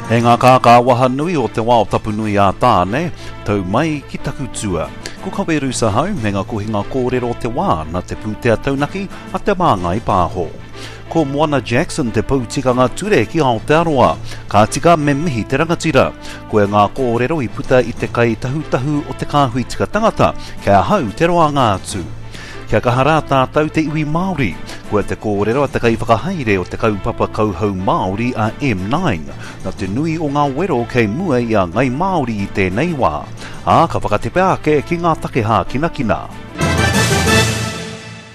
E ngā kākā waha nui o te wao tapu nui a Tāne, tau mai ki taku tua. Ko Kawe Rusa hau me ngā kohinga kōrero o te wā na te pūtea taunaki a Te Māngai Pāho. Ko Moana Jackson te pou tikanga ture ki Aotearoa. Ka tika me mihi te rangatira. Koia ngā kōrero i puta i te kai tahutahu o te kāhui tika tangata, kei ahau te roanga atu. Kia kaha rā tātou te iwi Māori. Koia te kōrero a te kaiwhakahaere o te kaupapa kauhau Māori a M9, na te nui o ngā wero kei mua i a Ngai Māori i tēnei wā, ā, ka whakatepe ake ki ngā take hākinakina.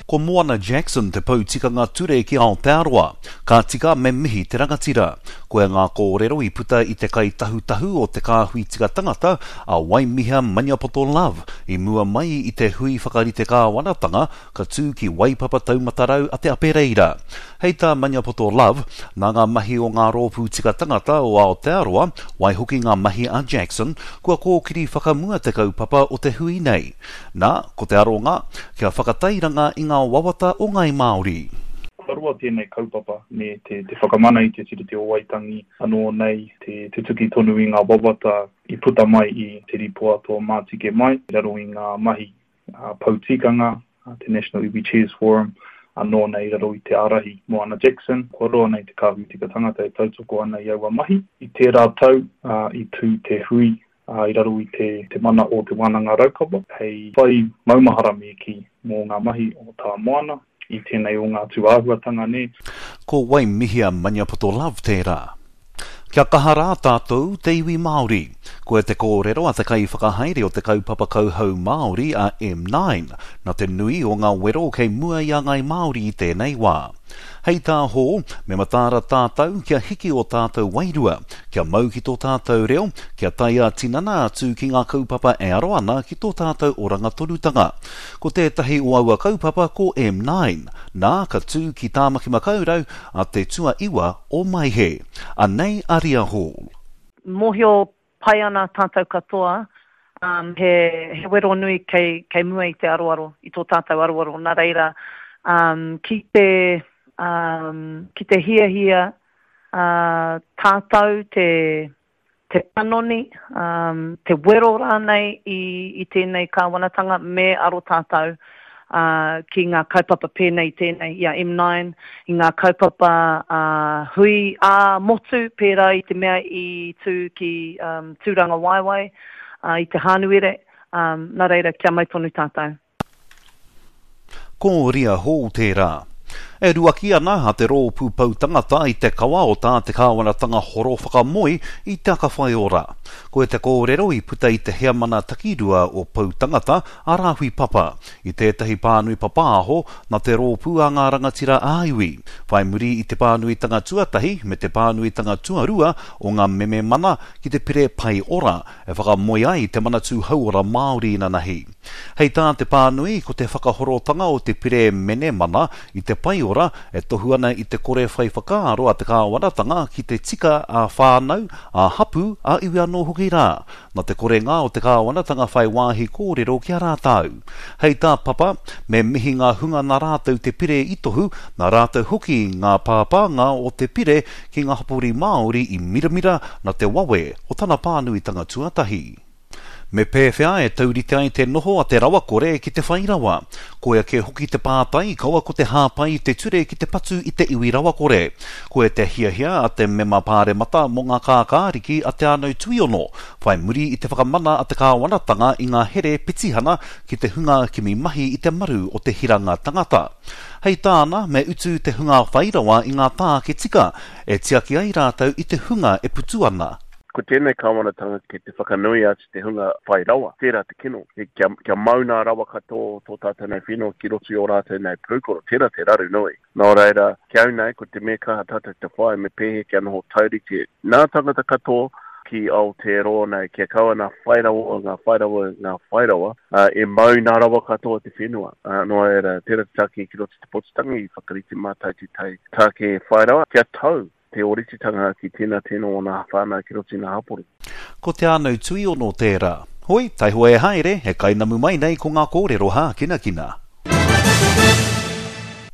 Ko Moana Jackson te pou tikanga ture ki Aotearoa. Ka tika me mihi te rangatira. Koia ngā kōrero i puta i te kaitahutahu o te kāhui tika tangata, a Waimiha Maniapoto Love, i mua mai i te hui whakarite kāwanatanga ka tū ki Waipapa Taumatarau a Te Apereira. Hei tā Maniapoto Love, nā ngā mahi o ngā rōpū tika tangata o Aotearoa, waihoki ngā mahi a Jackson, kua kōkiri whakamua te kaupapa o te hui nei. Nā, ko te aronga, kia whakatairanga i ngā wawata o Ngāi Māori. Kua roa tēnei kaupapa me te whakamana i te Tiriti o Waitangi anō nei te tutuki tonu i ngā wawata i puta mai i te rīpoata o Mātike Mai i raro i ngā mahi pou tikanga, te National Iwi Chairs Forum, anō nei i raro i te ārahi Moana Jackson. Kua roa nei te Kāhui Tika Tangata e tautoko ana i aua mahi. I tērā tau i tū te hui i raro i te te mana o Te Wānanga Raukawa hei whai maumahara me kī mō ngā mahi o Tā Moana i tēnei o ngā tūāhuatanga nē. Ko Waimihia Maniapoto Love tērā. Kia kaha rā tātou te iwi Māori. Koia te kōrero a te kaiwhakahaere o te kaupapa kauhau Māori a M9, na te nui o ngā wero kei mua i a Ngāi Māori i tēnei wā. Hei tā Hall, me mataara tātou kia hiki ō tātou wairua, kia mau ki tō tātou reo, kia tae ā-tinana atu ki ngā kaupapa e aro ana ki tō tātou oranga tonutanga. Ko tētahi o aua kaupapa ko M9, nā, ka tū ki Tāmaki Makaurau a te tuaiwa o Maehe. Anei a Ria Hall. Mōhio pai ana tātou katoa, um, he, he wero nui kei, kei mua i te aroaro, i tō tātou aroaro. Nā reira, um, ki te, um, ki te hiahia uh, tātou te, te panoni, um, te wero rānei i, i tēnei kāwanatanga, me aro tātou uh, ki ngā kaupapa pēnei i tēnei, i a M9, i ngā kaupapa uh, hui ā-motu pērā i te mea i tū ki um, Tūrangawaewae uh, i te Hānuere, um, nā reira kia mau tonu tātou. Ko Ria Hall tērā. E ruaki ana a Te Rōpū Pou Tangata i te kawa o tā te kāwanatanga horo whakamoe i Te Aka Whaiora. Koia te kōrero i puta i te heamana takirua o Pou Tangata, a Rāhui Papa, i tētahi pānui papāho nā te rōpū a ngā rangatira ā-iwi, whai muri i te pānuitanga tuatahi me te pānuitanga tuarua o ngā meme mana ki te pire Pae Ora e whakamoe ai te Manatū Hauora Māori inanahi. Hei tā te pānui, ko te whakahorotanga o te pire menemana i te paeora e tohu ana i te kore whai whakaaro a te kāwanatanga ki te tika ā-whānau, ā-hapū, ā-iwi anō hoki rā, nā te korenga o te kāwanatanga whai wāhi kōrero ki a rātou. Hei tā Papa, me mihi ngā hunga nā rātou te pire i tohu, nā rātou hoki ngā pāpānga o te pire ki ngā hapori Māori i miramira nā te wawe o tana pānuitanga tuatahi. Me pēwhea e taurite ai te noho a te rawakore ki te whai rawa? Koia kē hoki te pātai, kaua ko te hāpai i te ture ki te patu i te iwi rawakore. Koia te hiahia a te mema pāremata mō ngā kākāriki a Te Anau Tuiono, whai muri i te whakamana a te kāwanatanga i ngā here petihana ki te hunga kimi mahi i te maru o te hiranga tangata. Hei tāna, me utu te hunga whai rawa i ngā tāke tika e tiaki ai rātou i te hunga e putu ana. Ko tēnei kāwanatanga kei te whakanui atu te hunga whai rawa, tērā te kino, kia, kia mau nā rawa katoa o tō tātou nei whenua ki roto i ō rātou nei pūkoro, tērā te raru nui. Nō reira, ki au nei, ko te mea kaha tātou te whai me pēhea kia noho taurite nā tangata katoa ki Aotearoa nei, kia kaua nā whai rawa, ngā whai rawa, ngā whai rawa, ā, e mau nā rawa katoa te whenua. Ā, nō reira, tērā te take ki roto i te pōtitanga i whakarite mātou tētahi tāke whai rawa, kia tau te ōrititanga ki tēnā tēnā o nā whānau ki roto i nā hapori. Ko Te Anau Tuiono tērā. Hoi, taihoa e haere, he kainamu mai nei ko ngā kōrero hākinakina.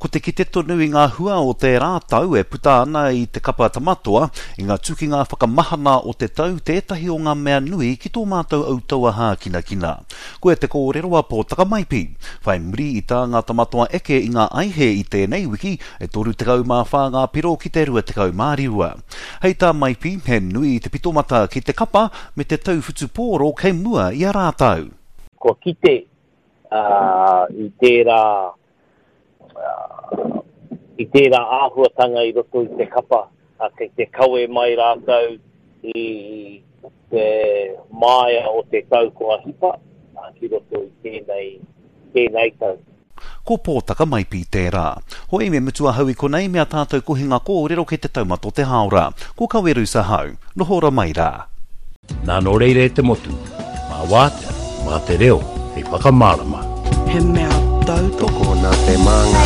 Ko te kite tonu i ngā hua o tērā tau e puta ana i te kapa Tamatoa, i ngā tukinga whakamahana o te tau tētahi o ngā mea nui ki tō mātou autaua hākinakina. Koia te kōrero a Pōtaka Maipi. Whai muri i tā ngā Tamatoa eke i ngā aihe i tēnei wiki, e 34 ngā piro ki te 25. Hei tā Maipi, he nui te pitomata ki te kapa me te tau whutupōro kei mua i a rātou. Kua kite i tērā i tērā āhuatanga i roto i te kapa, kei te kawe mai rātou i te māia o te tau kua hipa ki roto i tēnei, tēnei tau. Ko Pōtaka Maipi tērā. Hoi, me mutu ahau i konei me a tātou kohinga kōrero kei te taumata o te hāora. Ko Kawerus ahau. Noho ora mai rā. Nā nō reira e te motu, mā wātea, mā te reo hei whakamārama. He mea tautoko. Tokona te māngai.